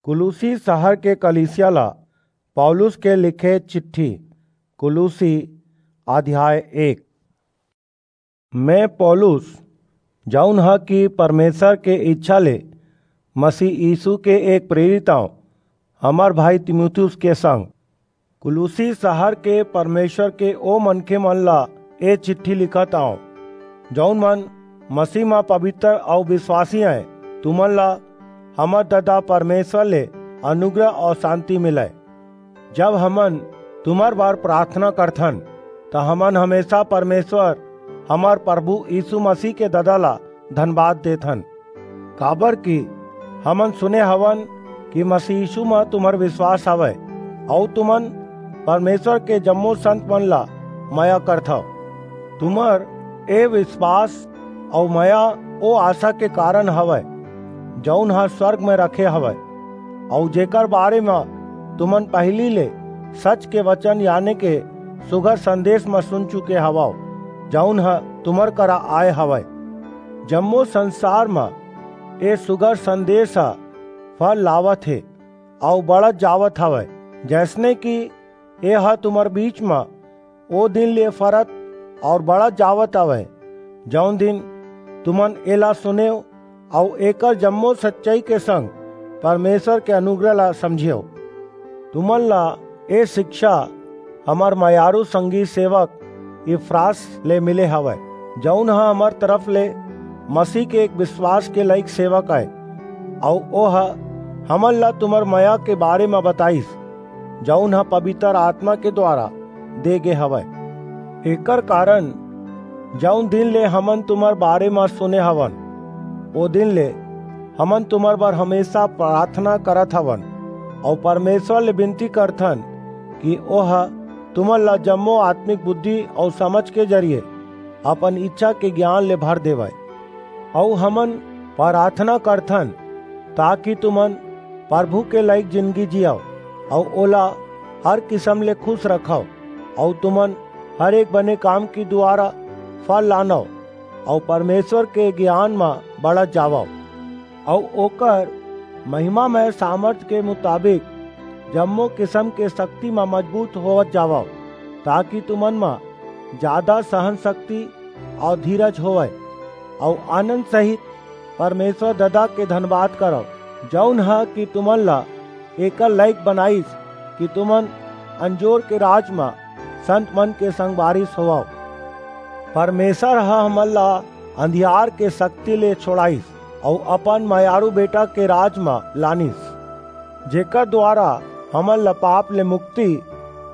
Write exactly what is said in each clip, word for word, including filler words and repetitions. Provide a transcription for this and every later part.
कुलुसी शहर के कलीसिया ला पौलुस के लिखे चिट्ठी। कुलुसी अध्याय एक। मैं पौलुस, जौन ह कि परमेसर के इच्छा ले मसीह यीसू के एक प्रेरित आंव, हमर भाई तीमुथियुस के संग कुलुसी शहर के परमेसर के ओ मनखेमन ला ए चिट्ठी लिखत आंव, जऊन मन मसीह म पबितर अऊ बिसवासी अंय। तुमन ला हमर ददा परमेसर ले अनुग्रह अऊ सांति मिलय। जब हमन तुम्हर बर पराथना करथन, त हमन हमेसा परमेसर, हमर परभू यीसू मसीह के ददा ला धनबाद देथन। काबरकि हमन सुने हवन कि मसीह यीसू म तुम्हर बिसवास हवय, अऊ तुमन परमेसर के जम्मो संतमन ला मया करथव। तुम्हर ए बिसवास अऊ मया ओ आसा के कारन हवय, जऊन ह स्वर्ग म रखे हवय, अऊ जेकर बारे म तुमन पहिली ले सच के बचन, याने के सुघर संदेस म सुन चुके हवव, जऊन ह तुम्हर करा आय हवय। जम्मो संसार म ए सुघर संदेस ह फल लावत हे अऊ बढ़त जावत हवय, जइसने कि एह तुम्हर बीच म ओ दिन ले फरत अऊ बढ़त जावत हवय, जऊन दिन तुमन एला सुनेव अऊ एकर जम्मो सच्चई के संग परमेसर के अनुग्रह ला समझेव। तुमन ला ए सिकछा हमर मयारू संगी सेवक इपफ्रास ले मिले हवय, जऊन ह हमर तरफ ले मसीह के एक बिसवास के लइक सेवक अय, अऊ ओह हमन ला तुम्हर मया के बारे म बताईस, जऊन ह पबितर आतमा के दुवारा दे गे हवय। एकर कारन जऊन दिन ले हमन तुम्हर बारे म सुने हवन, ओ दिन ले हमन तुम्हर बर हमेसा पराथना करत हवन, अऊ परमेसर ले बिनती करथन कि ओह तुमन ला जम्मो आतमिक बुद्धि अऊ समझ के जरिये अपन इच्छा के गियान ले भर देवय। अऊ हमन पराथना करथन, ताकि तुमन परभू के लइक जिनगी जियव, अऊ ओला हर किसम ले खुस रखव, अऊ तुमन हर एक बने काम के दुवारा फल लानव, अऊ परमेसर के गियान म बढ़त जावव, अऊ ओकर महिमामय सामरथ के मुताबिक जम्मो किसम के सक्ति म मजबूत होवत जावव, ताकि तुमन म जादा सहन सक्ति अऊ धीरज होवय, अऊ आनंद सहित परमेसर ददा के धनबाद करव, जऊन ह कि तुमन ला एकर लइक बनाईस कि तुमन अंजोर के राज म संतमन के संगवारी होवव। परमेसर ह हमन ला अंधियार के सक्ति ले छोड़ाईस अऊ अपन मयारू बेटा के राज म लानिस, जेकर दुवारा हमन ला पाप ले मुक्ति,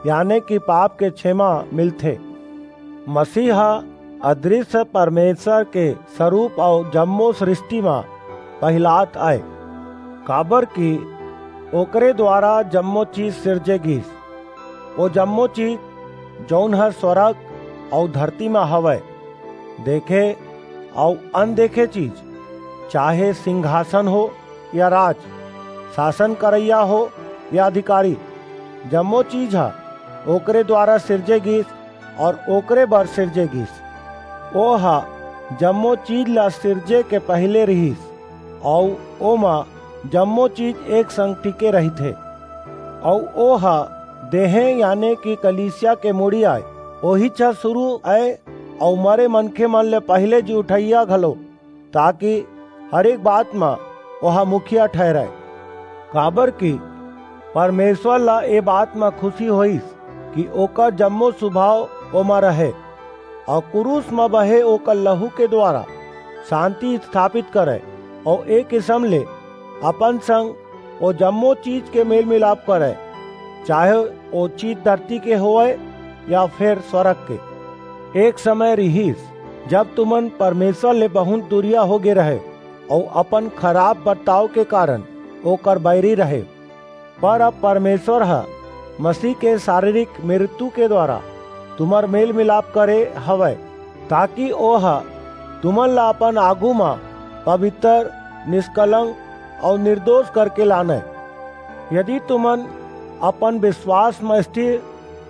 याने कि पाप के छेमा मिलथे। मसीह ह अदृश्य परमेसर के सरूप अऊ जम्मो सृस्टि म पहिलात अय, काबरकि ओकरे दुवारा जम्मो चीज सिरजे गीस। ओ जम्मो चीज, जऊन ह स्वरग अऊ धरती म हवय, देखे अऊ अनदेखे चीज, चाहे सिंघासन हो या राज, सासन करइया हो या अधिकारी, जम्मो चीज ह ओकरे दुवारा सिरजे गीस अऊ ओकरे बर सिरजे गीस। ओह जम्मो चीज ला सिरजे के पहिली रिहिस, अऊ ओमा जम्मो चीज एक संग टिके रहिथे। अऊ ओह देहें, याने कि कलीसिया के मुड़ी अय, ओहीच ह सुरू अय, अऊ मरे मनखेमन ले पहिली जी उठइया घलो, ताकि हर एक बात म ओह मुखिया ठहिरय। काबरकि परमेसर ला ए बात म खुसी होईस कि ओकर जम्मो सुभाव ओमा रहय, अऊ कुरूस म बहे ओकर लहू के दुवारा सांति स्थापित करय, अऊ ए किसम ले अपन संग ओ जम्मो चीज के मेल-मिलाप करय, चाहे ओ चीज धरती के होवय या फेर स्वरग के। एक समय रिहिस, जब तुमन परमेसर ले बहुंत दूरिहा होगे रहेव अऊ अपन खराप बरताव के कारन ओकर बईरी रहेव। पर अब परमेसर ह मसीह के सरीरिक मिरतू के दुवारा तुम्हर मेल-मिलाप करे हवय, ताकि ओह तुमन ला अपन आगू म पबितर, निसकलंक अऊ निरदोस करके लानय। यदि तुमन अपन बिसवास म स्थिर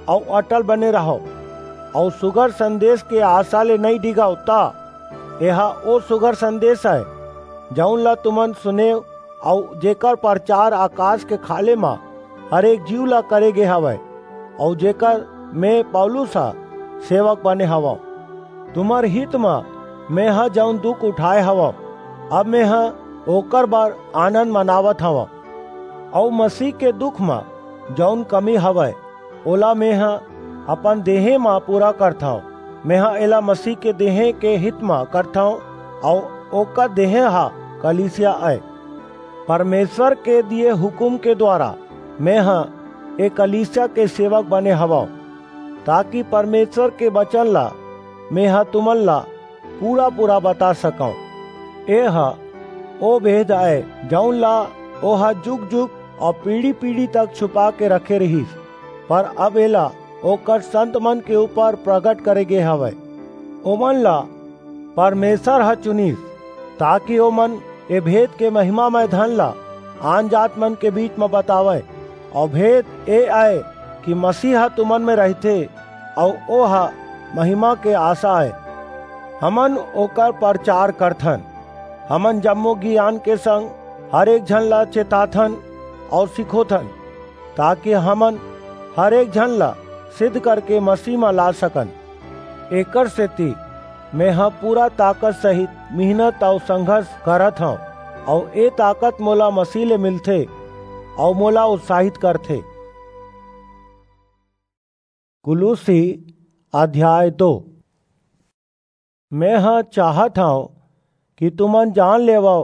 अऊ अटल बने रहव अऊ सुघर संदेस के आसा ले नइं डिगव, त एह ओ सुघर संदेस अय, जऊन ला तुमन सुनेव अऊ जेकर परचार अकास के खाल्हे म हर एक जीव ला करे गे हवय, अऊ जेकर में पौलुस ह सेवक बने हवंव। तुम्हर हित म मेंह जऊन दुख उठाय हवंव, अब मेंह ओकर बर आनंद मनावत हवंव। अऊ मसीह के दुख म जऊन कमी हवय, ओला मेंह अपन देहें म पूरा करथंव। मेंह एला मसीह के देहें के हित म करथंव, अऊ ओकर देहें ह कलीसिया अय। परमेसर के दिये हुकूम के दुवारा मेंह ए कलीसिया के सेवक बने हवंव, ताकि परमेसर के बचन ला मेंह तुमन ला पूरा-पूरा बता सकंव। एह ओ भेद अय, जऊन ला ओह जुग-जुग अऊ पीढ़ी-पीढ़ी तक छुपा के रखे रिहिस, पर अब एला ओकर संतमन के ऊपर परगट करे गे हवय। ओमन ला परमेसर ह चुनिस, ताकि ओमन ए भेद के महिमामय धन ला आनजातमन के बीच म बतावंय। अऊ भेद ए अय कि मसीह ह तुमन म रहिथे, अऊ ओह महिमा के आसा अय। हमन ओकर परचार करथन। हमन जम्मो गियान के संग हर एक झन ला चेताथन अऊ सिखोथन, ताकि हमन हर एक झन ला सिद्ध करके मसीह म ला सकन। एकरसेति मेंह पूरा ताकत सहित मिहनत अऊ संघर्ष करत हंव, अऊ ए ताकत मोला मसीह ले मिलथे, अऊ मोला उत्साहित करथे। कुलुस्सी अध्याय दो। मेंह चाहत हंव कि तुमन जान लेवव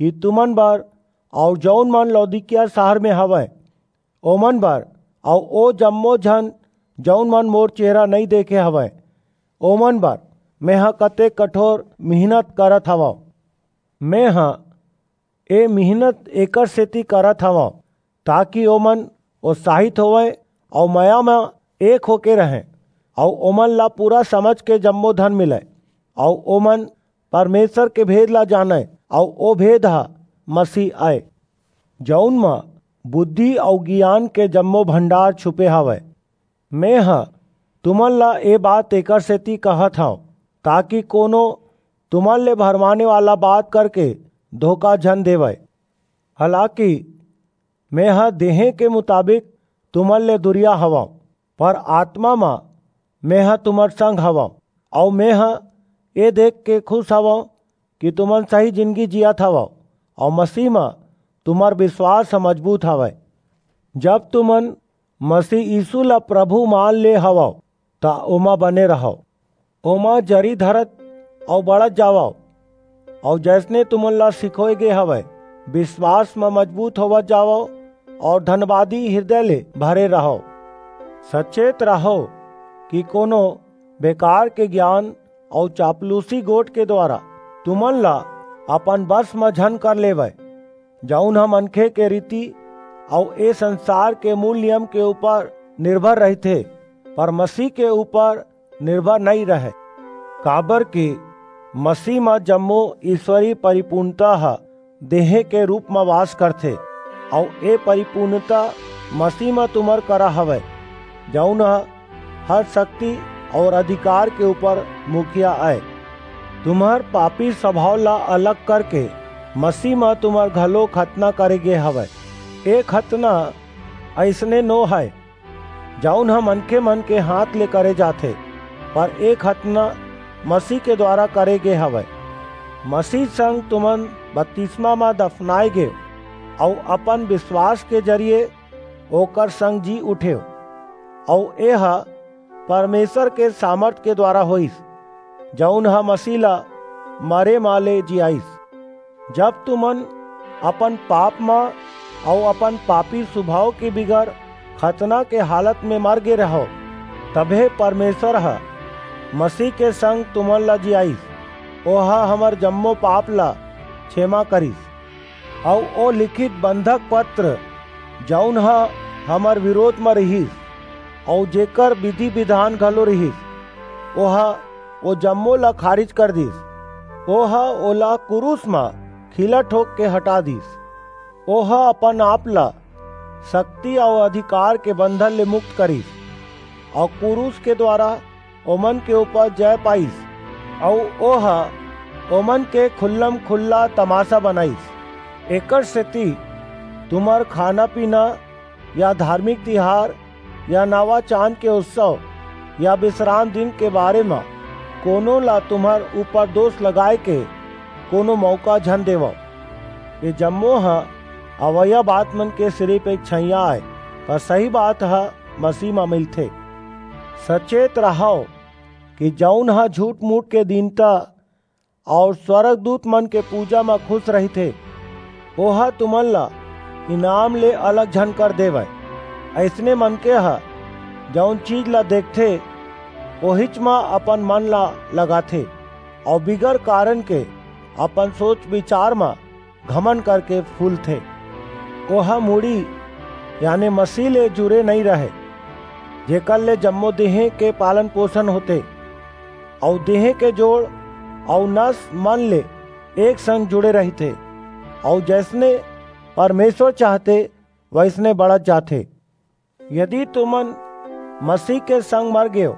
कि तुमन बर अऊ जऊन मन लौदीकिया सहर म हवंय, ओमन बर, अऊ ओ जम्मो झन जऊन मन मोर चेहरा नइं देखे हवंय, ओमन बर मेंह कतेक कठोर मिहनत करत हवंव। मेंह ए मिहनत एकरसेति करत हवंव, ताकि ओमन उत्साहित होवंय अऊ मया म एक होके रहंय, अऊ ओमन ला पूरा समझ के जम्मो धन मिलय, अऊ ओमन परमेसर के भेद ला जानंय, अऊ ओ भेद ह मसीह अय, जऊन म बुद्धि अऊ गियान के जम्मो भंडार छुपे हवय। मेंह तुमन ला ए बात एकरसेति कहत हंव, ताकि कोनो तुमन ले भरमाने वाला बात करके धोखा झन देवय। हालाकि मेंह देहें के मुताबिक तुमन ले दुरिहा हवंव, पर आतमा म मेंह तुम्हर संग हवंव, अऊ मेंह ए देखके खुस हवंव कि तुमन सही जिनगी जीयत हवव, अऊ मसीह म तुम्हर बिसवास ह मजबूत हवय। जब तुमन मसीह यीसू ला परभू मान ले हवव, त ओमा बने रहव। ओमा जरी धरत अऊ बढ़त जावव, अऊ जइसने तुमन ला सिखोय गे हवय, बिसवास म मजबूत होवत जावव अऊ धनबादी हिरदय ले भरे रहव। सचेत रहव कि कोनो बेकार के गियान अऊ चापलूसी गोठ के दुवारा तुमन ला अपन बस म झन कर लेवय, जऊन ह मनखे के रीति अऊ ए संसार के मूल नियम के ऊपर निरभर रहिथे, पर मसीह के ऊपर निरभर नइं रहय। काबरकि मसीह म जम्मो ईसवरी परिपूर्णता ह देहें के रूप म वास करथे, अऊ ए परिपूर्णता मसीह म तुम्हर करा हवय, जऊन ह हर सक्ति अऊ अधिकार के ऊपर मुखिया अय। तुम्हर पापी सभाव ला अलग करके मसीह म तुम्हर घलो खतना करे गे हवय। ए खतना अइसने नो हय, जऊन ह मनखेमन के हांथ ले करे जाथे, पर ए खतना मसीह के दुवारा करे गे हवय। मसीह संग तुमन बतिसमा म दफनाय गेव, अऊ अपन बिसवास के जरिये ओकर संग जी उठेव, अऊ एह परमेसर के सामरथ के दुवारा होईस, जऊन ह मसीह ला मरे म ले जियाईस। जब तुमन अपन पाप म अऊ अपन पापी सुभाव के बिगर खतना के हालत म मर गे रहव, तभे परमेसर ह मसीह के संग तुमन ला जियाईस। ओह हमर जम्मो पाप ला छेमा करिस। अऊ ओ लिखित बंधक पत्र, जऊन ह हमर बिरोध म रिहिस, अऊ जेकर बिधि-बिधान घलो रिहिस, ओह ओ जम्मो ला खारिज कर दीस। ओह ओला कुरूस म खीला ठोंक के हटा दीस। ओह अपन आप ला सक्ति अऊ अधिकार के बंधन ले मुक्त करिस, अऊ कुरूस के दुवारा ओमन के ऊपर जय पाईस, अऊ ओह ओमन के खुल्लम-खुल्ला तमासा बनाईस। एकर सेती तुमर खाना-पीना या धार्मिक तिहार या नवा चांद के उत्सव या बिसराम दिन के बारे म कोनो ला तुम्हर ऊपर दोस लगाय के कोनो मौका झन देवव। ए जम्मो ह अवइया बात मन के सिरिप एक छइयाँ आय, पर सही बात ह मसीह म मिलथे। सचेत रहव कि जऊन ह झूठ-मूठ के दीनता अऊ स्वरगदूत मन के पूजा म खुस रहिथे, ओह तुमन ला इनाम ले अलग झन कर देवय। अइसने मनखे ह जऊन चीज ला देखथे, ओहीच म अपन मन ला लगाथे, अऊ बिगर कारन के अपन सोच-बिचार म घमंड करके फूलथे। ओह मुड़ी, याने मसीह ले जुरे नइं रहय, जेकर ले जम्मो देहें के पालन-पोसन होथे, अऊ देहें के जोड़ अऊ नस मन ले एक संग जुड़े रहिथे, अऊ जइसने परमेसर चाहथे, वइसने बढ़त जाथे। यदि तुमन मसीह के संग मर गेव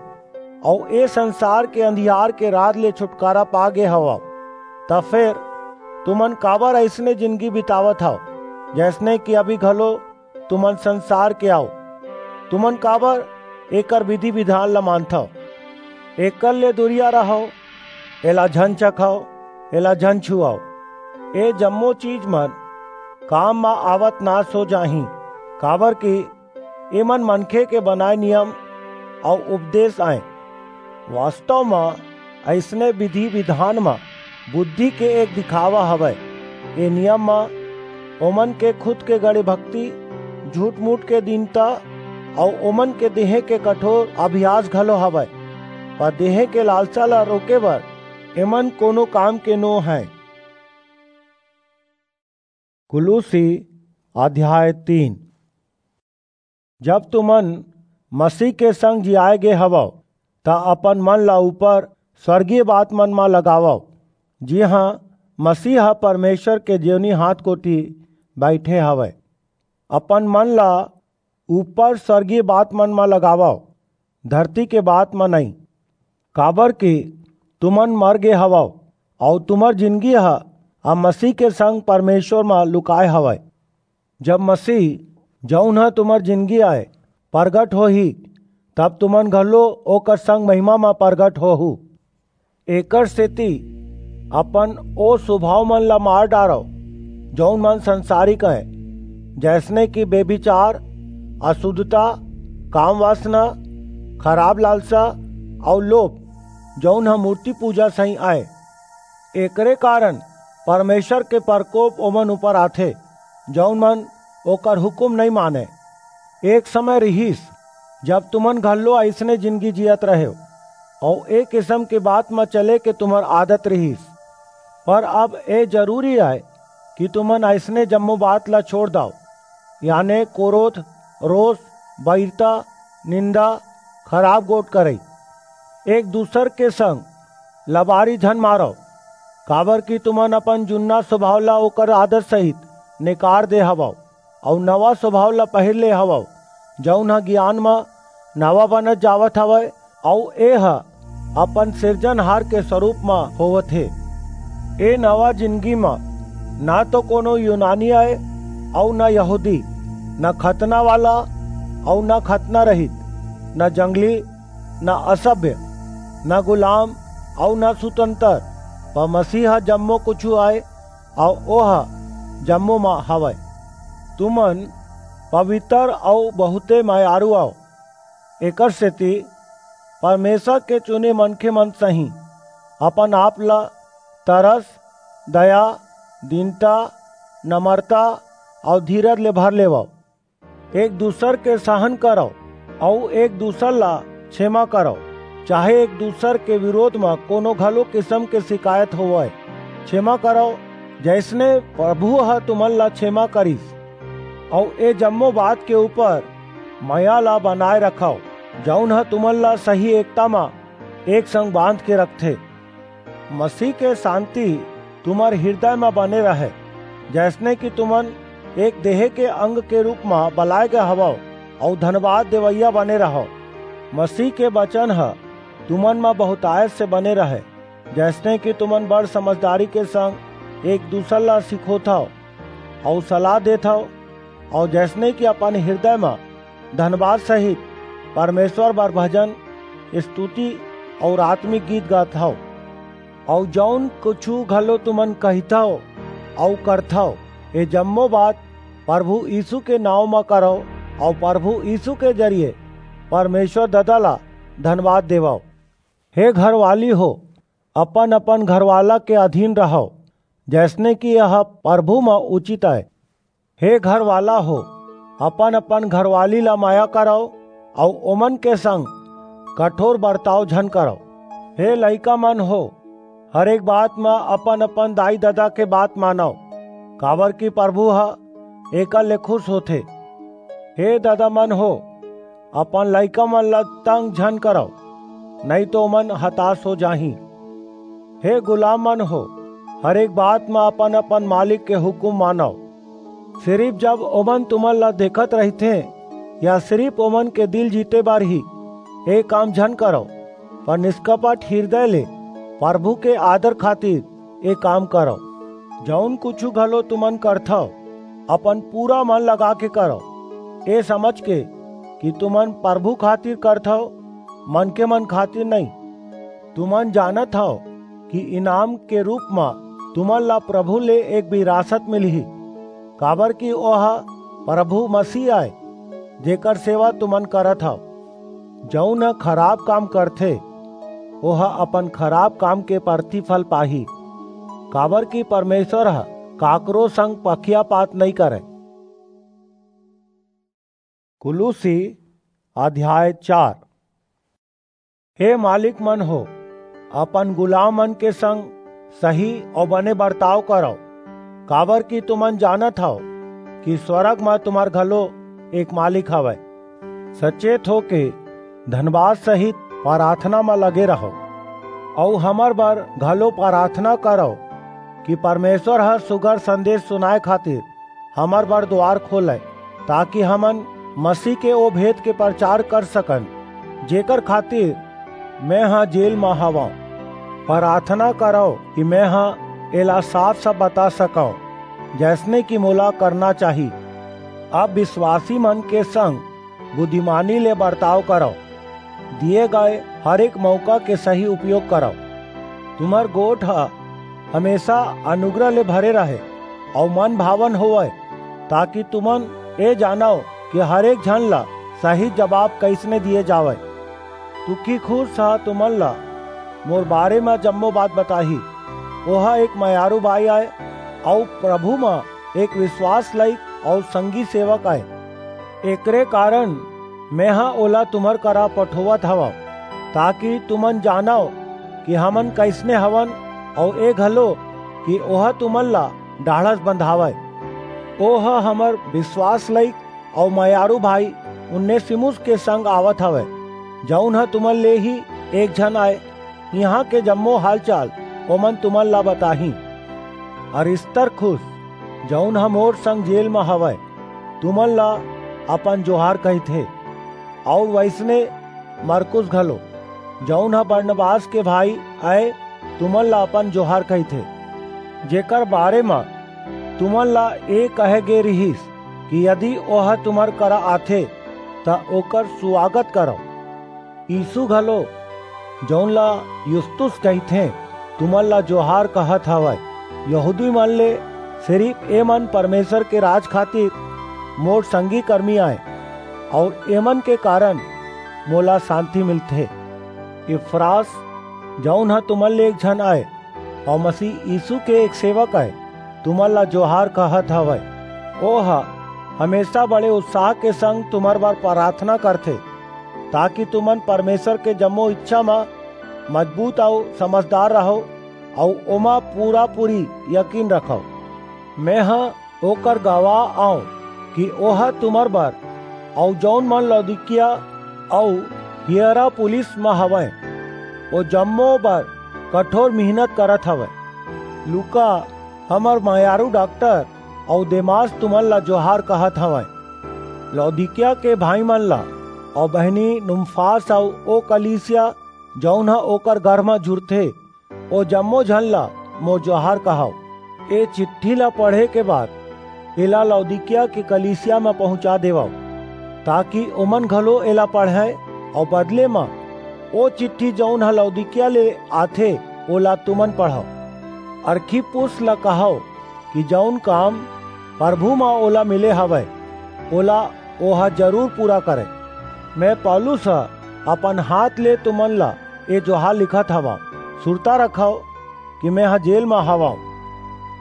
अऊ ए संसार के अंधियार के राज ले छुटकारा पा गे हवव, त फेर तुमन काबर अइसने जिनगी बितावत हव, जइसने कि अभी घलो तुमन संसार के अव? तुमन काबर एकर बिधि-बिधान ला मानथव? एकर ले दूरिहा रहव, एला झन चखव, एला झन छुअव। ए जम्मो चीज मन काम म आवत नास हो जाहीं, काबरकि एमन मनखे के बनाय नियम अऊ उपदेस अंय। वास्तव म अइसने बिधि-बिधान म बुद्धि के एक दिखावा हवय। ए नियम म ओमन के खुद के गड़े भक्ति, झूठ-मूठ के दीनता अऊ ओमन के देहें के कठोर अभ्यास घलो हवय, पर देहें के लालसा ला रोके बर एमन कोनो काम के नो हंय। कुलुसी अध्याय तीन। जब तुमन मसीह के संग जियाय गे हवव, त अपन मन ला ऊपर स्वर्गीय बात मन म लगावव, जिहां मसीह ह परमेसर के जेवनी हाथ कोति बईठे हवय। अपन मन ला ऊपर स्वर्गीय बात मन म लगावव, धरती के बात म नइं, काबरकि तुमन मर गे हवव, अऊ तुम्हर जिनगी ह अब मसीह के संग परमेसर म लुकाय हवय। जब मसीह, जऊन ह तुम्हर जिनगी अय, परगट होही, तब तुमन घलो ओकर संग महिमा म परगट होहू। एकर सेति अपन ओ सुभाव मन ला मार डारव, जऊन मन संसारिक अंय, जइसने कि बेभिचार, असुद्धता, काम-वासना, खराब लालसा अऊ लोभ, जऊन ह मूरती पूजा सहीं अंय। एकरे कारन परमेसर के परकोप ओमन ऊपर आथे, जऊन मन ओकर हुकूम नइं मानंय। एक समय रिहिस, जब तुमन घलो अइसने जिनगी जीयत रहेव, अऊ ए किसम के बात म चले के तुम्हर आदत रिहिस। पर अब ए जरूरी अय कि तुमन अइसने जम्मो बात ला छोंड़ दव, याने कोरोध, रोस, बईरता, निंदा, खराब गोठ करई। एक-दूसर के संग लबारी झन मारव, काबरकि तुमन अपन जुन्ना सुभाव ला ओकर आदत सहित नेकार दे हवव, अऊ नवा सुभाव ला पहिर ले हवव, जऊन ह गियान म नवा बनत जावत हवय, अऊ एह अपन सिरजनहार के सरूप म होवत हे। ए नवा जिनगी म न तो कोनो यूनानी अय अऊ न यहूदी, न खतना वाला अऊ न खतना रहित, न जंगली, न असभ्य, न गुलाम अऊ न सुतंतर, पर मसीह ह जम्मो कुछू अय अऊ ओह जम्मो म हवय। तुमन पबितर अऊ बहुंते मयारू अव। एकर सेति परमेसर के चुने मनखे मन सहीं अपन आप ला तरस, दया, दीनता, नमरता अऊ धीरज ले भर लेवव। एक-दूसर के सहन करव अऊ एक-दूसर ला छेमा करव, चाहे एक-दूसर के बिरोध म कोनो घलो किसम के सिकायत होवय। छेमा करव, जइसने परभू ह तुमन ला छेमा करिस। अऊ ए जम्मो बात के ऊपर मया ला बनाय रखव, जऊन ह तुमन ला सही एकता म एक संग बांध के रखथे। मसीह के सांति तुम्हर हिरदय म बने रहय, जइसने कि तुमन एक देहें के अंग के रूप म बलाय गे हवव अऊ धनबाद देवइया बने रहव। मसीह के बचन ह तुमन म बहुंतायत से बने रहय, जइसने कि तुमन बड़ समझदारी के संग एक-दूसर ला सिखोथव। अऊ सलाह देत हव, अऊ जइसने कि अपन हिरदय म धनबाद सहित परमेसर बर भजन, स्तुति अऊ आतमिक गीत गात हव। अऊ जऊन कुछू घलो तुमन कहिथव अऊ करथव, ए जम्मो बात परभू यीसू के नांव म करव, अऊ परभू यीसू के जरिये परमेसर ददा ला धनबाद देवव। हे घरवाली हो, अपन-अपन घरवाला के अधीन रहव, जइसने कि यह परभू म उचित अय। हे घरवाला हो, अपन-अपन घरवाली ला मया करव, अऊ ओमन के संग कठोर बरताव झन करव। हे लइका मन हो, हर एक बात म अपन-अपन दाई-ददा के बात मानव, काबरकि परभू ह एकर ले खुस होथे। हे ददा मन हो, अपन लइका मन ला तंग झन करव, नइं तो ओमन हतास हो जाहीं। हे गुलाम मन हो, हर एक बात म अपन-अपन मालिक के हुकूम मानव। सिरिप जब ओमन तुमन ला देखत रहिथें, या सिरिप ओमन के दिल जीते बर ही, ए काम झन करव, पर निसकपट हिरदय ले परभू के आदर खातिर ए काम करव। जऊन कुछू घलो तुमन करथव, अपन पूरा मन लगाके करव, ए समझके कि तुमन परभू खातिर करथव, मनखेमन खातिर नइं। तुमन जानत हव कि इनाम के रूप म तुमन ला परभू ले एक बिरासत मिलही, काबरकि ओह परभू मसीह अय, जेकर सेवा तुमन करत हव। जऊन ह खराप काम करथे, ओह अपन खराप काम के परतिफल पाही, काबरकि परमेसर ह काकरो संग पखियापात नइं करय। कुलुसी अध्याय चार। हे मालिक मन हो, अपन गुलाम मन के संग सही अऊ बने बरताव करव, काबरकि तुमन जानत हव कि स्वरग म तुम्हर घलो एक मालिक हवय। सचेत होके धनबाद सहित पराथना म लगे रहव, अऊ हमर बर घलो पराथना करव कि परमेसर ह सुघर संदेस सुनाय खातिर हमर बर दुवार खोलय, ताकि हमन मसीह के ओ भेद के परचार कर सकन, जेकर खातिर मेंह जेल म हवंव। पराथना करव कि मेंह एला साफ-साफ बता सकंव, जइसने कि मोला करना चाही। अब बिसवासी मन के संग बुद्धिमानी ले बरताव करव, दिये गय हर एक मऊका के सही उपयोग करव। तुम्हर गोठ ह हमेसा अनुग्रह ले भरे रहय अऊ मनभावन होवय, ताकि तुमन ए जानव कि हर एक झन ला सही जबाब कइसने दिये जावय। तुखिकुस ह तुमन ला मोर बारे म जम्मो बात बताही। ओह एक मयारू बाई अय अऊ परभू म एक बिसवास लइक अऊ संगी सेवक अय। एकरे कारन मेंह ओला तुम्हर करा पठोवत हवंव, ताकि तुमन जानव कि हमन कइसने हवन, अऊ ए घलो कि ओह तुमन ला ढाढ़स बंधावय। ओह हमर बिसवास लइक अऊ मयारू भाई उनेसिमुस के संग आवत हवय, जऊन ह तुमन ले ही एक झन अय। इहां के जम्मो हालचाल ओमन तुमन ला बताहीं। अरिस्तर्खुस, जऊन ह मोर संग जेल म हवय, तुमन ला अपन जोहार कहिथे, अऊ वइसने मरकुस घलो, जऊन ह बरनबास के भाई अय, तुमन ला अपन जोहार कहिथे, जेकर बारे म तुमन ला ए कहे गे रिहिस कि यदि ओह तुम्हर करा आथे, त ओकर सुवागत करव। यीसू घलो, जऊन ला युस्तुस कहिथें, तुमन ला जोहार कहत हवय। यहूदी मन ले सिरिप एमन परमेसर के राज खातिर मोर संगी करमी अंय, अऊ एमन के कारन मोला सांति मिलथे। इपफ्रास, जऊन ह तुमन ले एक झन अय, अऊ मसीह यीसू के एक सेवक अय, तुमन ला जोहार कहत हवय। ओह हमेसा बड़े उत्साह के संग तुम्हर बर पराथना करथे, ताकि तुमन परमेसर के जम्मो ईछा म मजबूत अऊ समझदार रहव, अऊ ओमा पूरा-पूरी यकीन रखव। मेंह ओकर गवाह अंव कि ओह तुम्हर बर अऊ जऊन मन लौदीकिया अऊ हियरापुलिस म हवंय, ओ जम्मो बर कठोर मिहनत करत हवय। लूका, हमर मयारू डाक्टर, अऊ देमास तुमन ला जोहार कहत हवंय। लौदीकिया के भाईमन ला अऊ बहिनी नुमफास अऊ ओ कलीसिया, जऊन ह ओकर घर म जुरथे, ओ जम्मो झन ला मोर जोहार कहव। ए चिट्ठी ला पढ़े के बाद एला लौदीकिया के कलीसिया म पहुंचा देवव, ताकि ओमन घलो एला पढ़ंय, अऊ बदले म ओ चिट्ठी, जऊन ह लौदीकिया ले आथे, ओला तुमन पढ़व। अर्खिप्पुस ला कहव कि जऊन काम परभू म ओला मिले हवय, ओला ओह जरूर पूरा करय। मैं पौलुस ह अपन हाथ ले तुमन ला ए जोहार लिखत हवंव। सुरता रखव कि मेंह जेल म हवंव।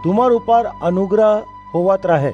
तुमर ऊपर अनुग्रह होवत रहय।